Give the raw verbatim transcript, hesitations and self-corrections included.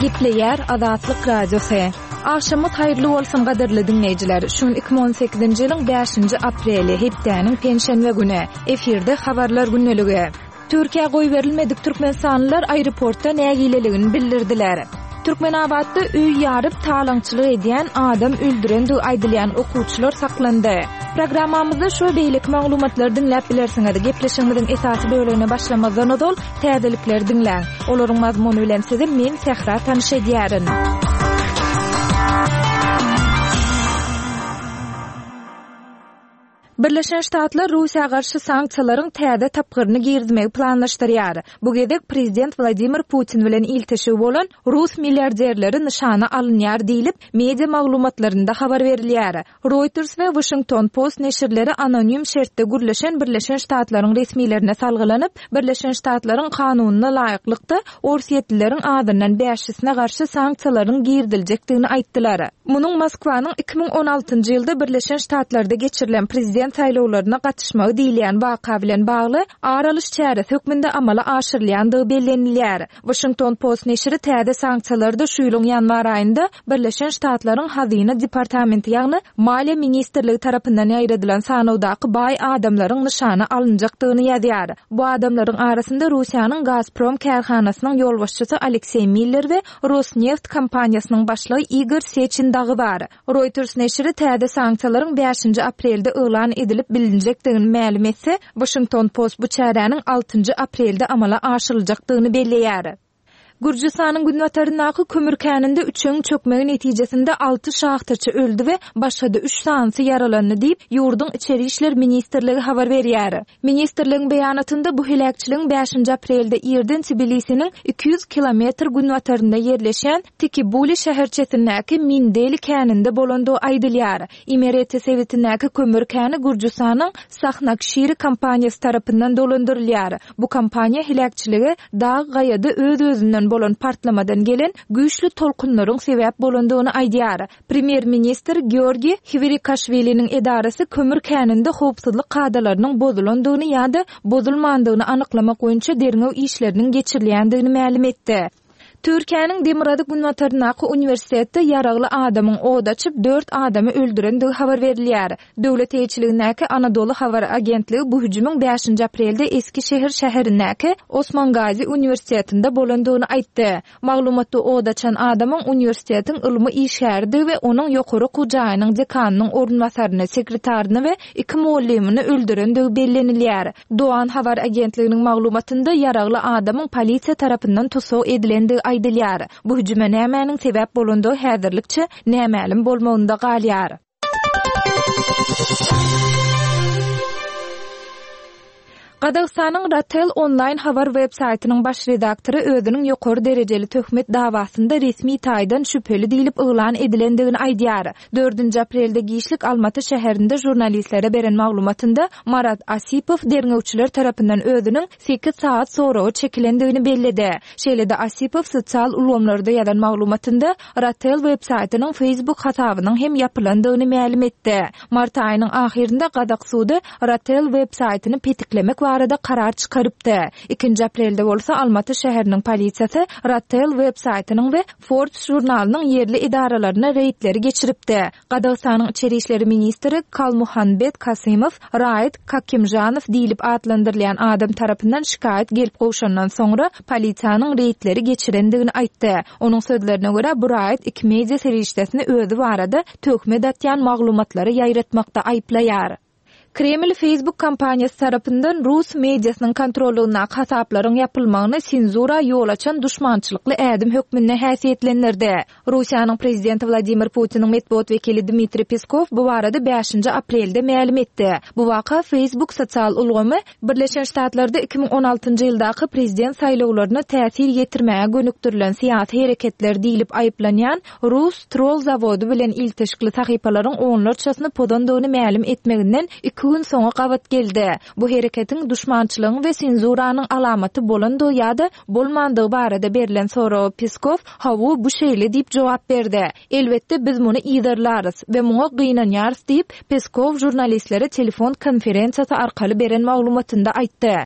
Gepleýär Azatlyk Radiosy. Agşamyňyz haýyrly bolsun gadyrly diňleýjiler. Şu gün iki müň on sekizinji ýylyň bäşinji apreli, hepdäniň penşenbe güni. Efirde habarlar gündeligi. Türkiýä goýberilmedik türkmenistanlylar aeroportda nägileligini bildirdiler. Türkmenabatda öý ýaryp talaňçylyk edýän adam öldürendigi aýdylýan okuwçylar saklandy. Programmamyzda şu we beýleki maglumatlary diňläp bilersiňiz. Gepleşigimiziň esasy bölegine başlamazdan ozal täzelikleri diňläň. Olaryň mazmuny bilen sizi men Sähra tanyş edýärin. Birleşen Ştatlar Russiýa garşy sanksiýalaryň täze tapgyryny girizmegi planlaşdyrýar. Bu gezek prezident Wladimir Putin bilen ilteşigi bolan rus milliarderleri nyşana alynýar diýlip, media maglumatlarynda habar berilýär. Reuters we Washington Post neşirleri anonim şertde gürleşen Birleşen Ştatlaryň resmilerine salgylanyp, Birleşen Ştatlaryň kanunyna laýyklykda, orsýetlileriň azyndan bäşisine garşy sanksiýalaryň giriziljekdigini aýtdylar. Munuň Moskwanyň iki müň on altynjy ýylda Birleşen Ştatlarda geçirilen prezident saýlawlaryna gatyşmagy diýilýän waka bilen bagly ar alyş çäresi hökmünde amala aşyrylýandygy bellenilýär. Washington Post neşiri täze sanksiýalarda şu ýylyň ýanwar aýynda Birleşen Ştatlaryň Hazyna departamenti, ýagny Maliýe ministrligi tarapyndan ýaýradylan sanawdaky baý adamlaryň nyşana alynjakdygyny ýazýar. Bu adamlaryň arasynda Russiýanyň Gazprom kärhanasynyň ýolbaşçysy Alekseý Miller we Rosneft kompaniýasynyň başlygy Igor Seçin dagy bar. Reuters neşiri täze sanksiýalaryň bäşinji aprelde yglan edilip bilinjekdigini mälim etse, Washington Post bu çäräniň altynjy aprelde amala aşyryljakdygyny belleýär. Gürjüstanyň günbataryndaky kömür käninde üçegiň çökmegi netijesinde alty şahtaçy öldi we başga-da üç sanysy ýaralandy diýip, ýurduň Içeri işler ministrligi habar berýär. Ministrligiň beýanatynda bu heläkçiligiň bäşinji aprelde irden Tbilisiniň iki ýüz kilometr günbatarynda ýerleşýän Tikibuli şäherçesindäki Mindeli käninde bolandygy aýdylýar. Imereti sebitindäki kömür käni Gürjüstanyň Sahnakşiri kompaniýasy tarapyndan dolandyrylýar. Bu kompaniýa heläkçilige dag gaýada öz-özünden bolan partlamadan gelen güýçli tolkunlaryň sebäp bolandygyny aýdýar. Premýer-ministr Georgi Hwirikaşwiliniň edarasy kömür käninde howpsuzlyk kadalarynyň bozulandygyny ýa-da bozulmandygyny anyklamak boýunça derňew işleriniň geçirilýändigini mälim etdi. Türkiýäniň Demirgazyk günbataryndaky uniwersitetde ýaragly adamyň od açyp dört adamy öldürendigi habar berilýär. Döwlet eýeçiligindäki Anadolu habar agentligi bu hüjümiň bäşinji aprelde Eskişehir şäherindäki Osmangazi uniwersitetinde bolandygyny aýtdy. Maglumatda od açan adamyň uniwersitetiň ylmy işgäridigi we onuň ýokary okuw jaýynyň dekanynyň orunbasaryny, sekretaryny we iki mugallymyny öldürendigi bellenilýär. Doğan habar agentliginiň maglumatynda ýaragly adamyň polisiýa tarapyndan tussag edilendigi aýdylýar. Bu hüjüme nämäniň sebäp bolandygy häzirlikçe nämälim bolmagynda galýar. Gazagystanyň Ratel onlaýn habar web-saýtynyň baş redaktory özüniň ýokary derejeli töhmet dawasynda resmi taýdan şübheli diýlip yglan edilendigini aýdýar. Dördünji aprelde giçlik Almaty şäherinde žurnalistlere beren maglumatynda Marat Asipow derňewçiler tarapyndan özüniň sekiz sagat soraga çekilendigini belledi. Şeýle-de Asipow sosial ulgamlarda ýazan maglumatynda Ratel web-saýtynyň Facebook hasabynyň hem ýapylandygyny mälim etdi. Mart aýynyň ahyrynda Gazak sudy Ratel web-saýtyny petiklemek barada karar çykarypdy. Ikinji aprelde bolsa Almaty şäheriniň polisiýasy Ratel web-saýtynyň we Forbes žurnalynyň ýerli edaralaryna reýdleri geçiripdi. Gazagystanyň Içeri işleri ministri Kalmuhanbet Kasymow Raýat Kakimžanow diýlip atlandyrylýan adam tarapyndan şikaýat gelip gowşandan soňra polisiýanyň reýdleri geçirendigini aýtdy. Onuň sözlerine görä bu raýat iki media serişdesini özi barada töhmet atýan maglumatlary ýaýratmakda aýyplaýar. Kreml Facebook kompaniýasy tarapyndan rus mediasynyň kontrollygyndaky hasaplaryň ýapylmagyny senzura ýol açan duşmançylykly ädim hökmünde häsiýetlendirdi. Russiýanyň prezidenti Wladimir Putiniň metbugat wekili Dmitriý Peskow bu barada bäşinji aprelde mälim etdi. Bu waka Facebook sosial ulgamy Birleşen Ştatlarda iki müň on altynjy ýyldaky prezident saýlawlaryna täsir ýetirmäge gönükdirilen syýasy hereketler diýlip aýyplanýan Rus troll zawody bilen ilteşikli sahypalaryň onlarçasyny pozandygyny mälim etmeginden iki gün soňa gabat geldi. Bu hereketiň duşmançylygyň we senzuranyň alamaty bolandygy ýa-da bolmandygy barada berlen soraga Peskow, Hawu, bu şeýle diýip jogap berdi. Elbetde biz muny yzarlarys we muňa gynanýarys diýip, Peskow žurnalistlere telefon konferensiýasy arkaly beren maglumatynda aýtdy.